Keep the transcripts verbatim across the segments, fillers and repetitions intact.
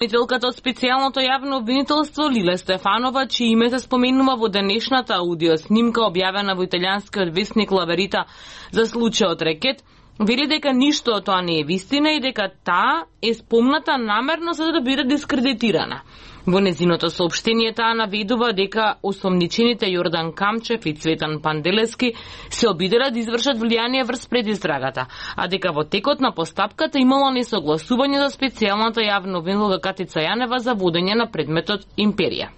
Обвинителката од специјалното јавно обвинителство Лиле Стефанова, чие име се споменува во денешната аудиоснимка објавена во италијанскиот весник Ла Верита за случајот Рекет, вели дека ништо од тоа не е вистина и дека таа е спомната намерно за да биде дискредитирана. Во незиното соопштение таа наведува дека осомничените Јордан Камчев и Цветан Панделески се обиделе да извршат влијание врз предистрагата, а дека во текот на постапката имало несогласување за специјалната јавна обвинителка Катица Јанева за водење на предметот Империја.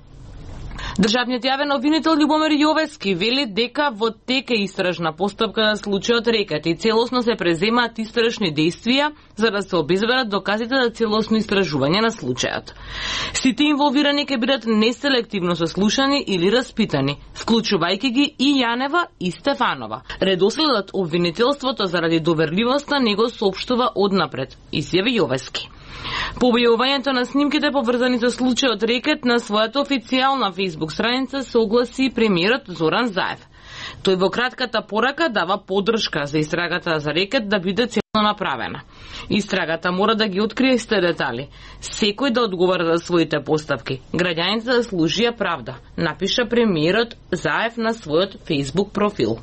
Државниот јавен обвинител Љубомир Јовески вели дека во тек е истражна постапка на случајот Рекет и целосно се преземаат истражни дејствија за да се обезбедат доказите за целосно истражување на случајот. Сите инволвирани ќе бидат неселективно сослушани или распитани, вклучувајќи ги и Јанева и Стефанова. Редоследот обвинителството заради доверливоста не го соопштува однапред, изјави Јовески. По објавувањето на снимките поврзани со случајот Рекет на својата официјална фејсбук страница се огласи премиерот Зоран Заев. Тој во кратката порака дава поддршка за истрагата за Рекет да биде целно направена. Истрагата мора да ги открие сите детали. Секој да одговара за своите постапки. Граѓаните заслужија правда, напиша премиерот Заев на својот фејсбук профил.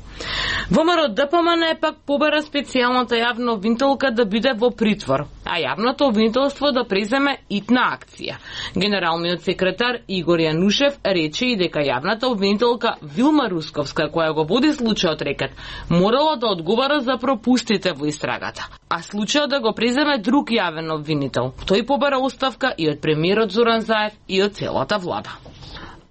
ВМРО Д П М Н пак побера специјалната јавна обвинителка да биде во притвор, а јавното обвинителство да преземе итна акција. Генералниот секретар Игор Јанушев рече и дека јавната обвинителка Вилма Русковска, која го води случајот Рекет, морала да одговара за пропустите во истрагата, а случајот да го преземе друг јавен обвинител. Тој побара оставка и од премиерот Зоран Заев и од целата влада.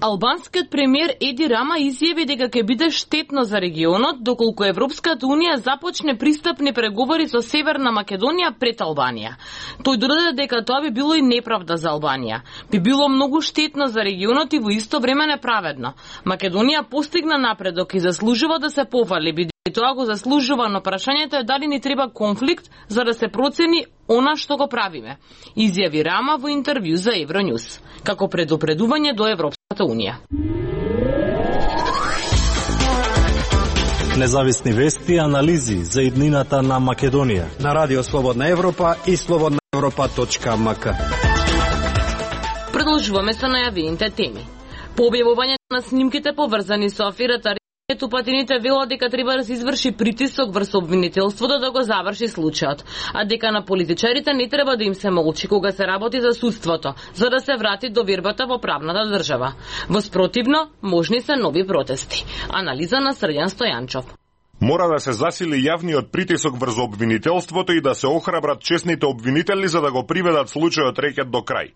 Албанскиот премиер Еди Рама изјави дека ќе биде штетно за регионот доколку Европската унија започне пристапни преговори со Северна Македонија пред Албанија. Тој додаде дека тоа би било и неправда за Албанија. Би било многу штетно за регионот и во исто време неправедно. Македонија постигна напредок и заслужува да се пофали, бидејќи тоа го заслужува, но прашањето е дали ни треба конфликт за да се процени она што го правиме, изјави Рама во интервју за Евронюс, како предупредување до Европската унија. Независни вести и анализи за иднината на Македонија на Радио Слободна Европа и слободна европа точка м к. Продолжуваме со најавените теми. По објавувањето на снимките поврзани со аферата Тупатините велат дека треба да се изврши притисок врз обвинителството да го заврши случајот, а дека на политичарите не треба да им се молчи кога се работи за судството, за да се врати довербата во правната држава. Во спротивно, можни се нови протести. Анализа на Срđan Стојанчов. Мора да се засили јавниот притисок врз обвинителството и да се охрабрат честните обвинители за да го приведат случајот Рекет до крај.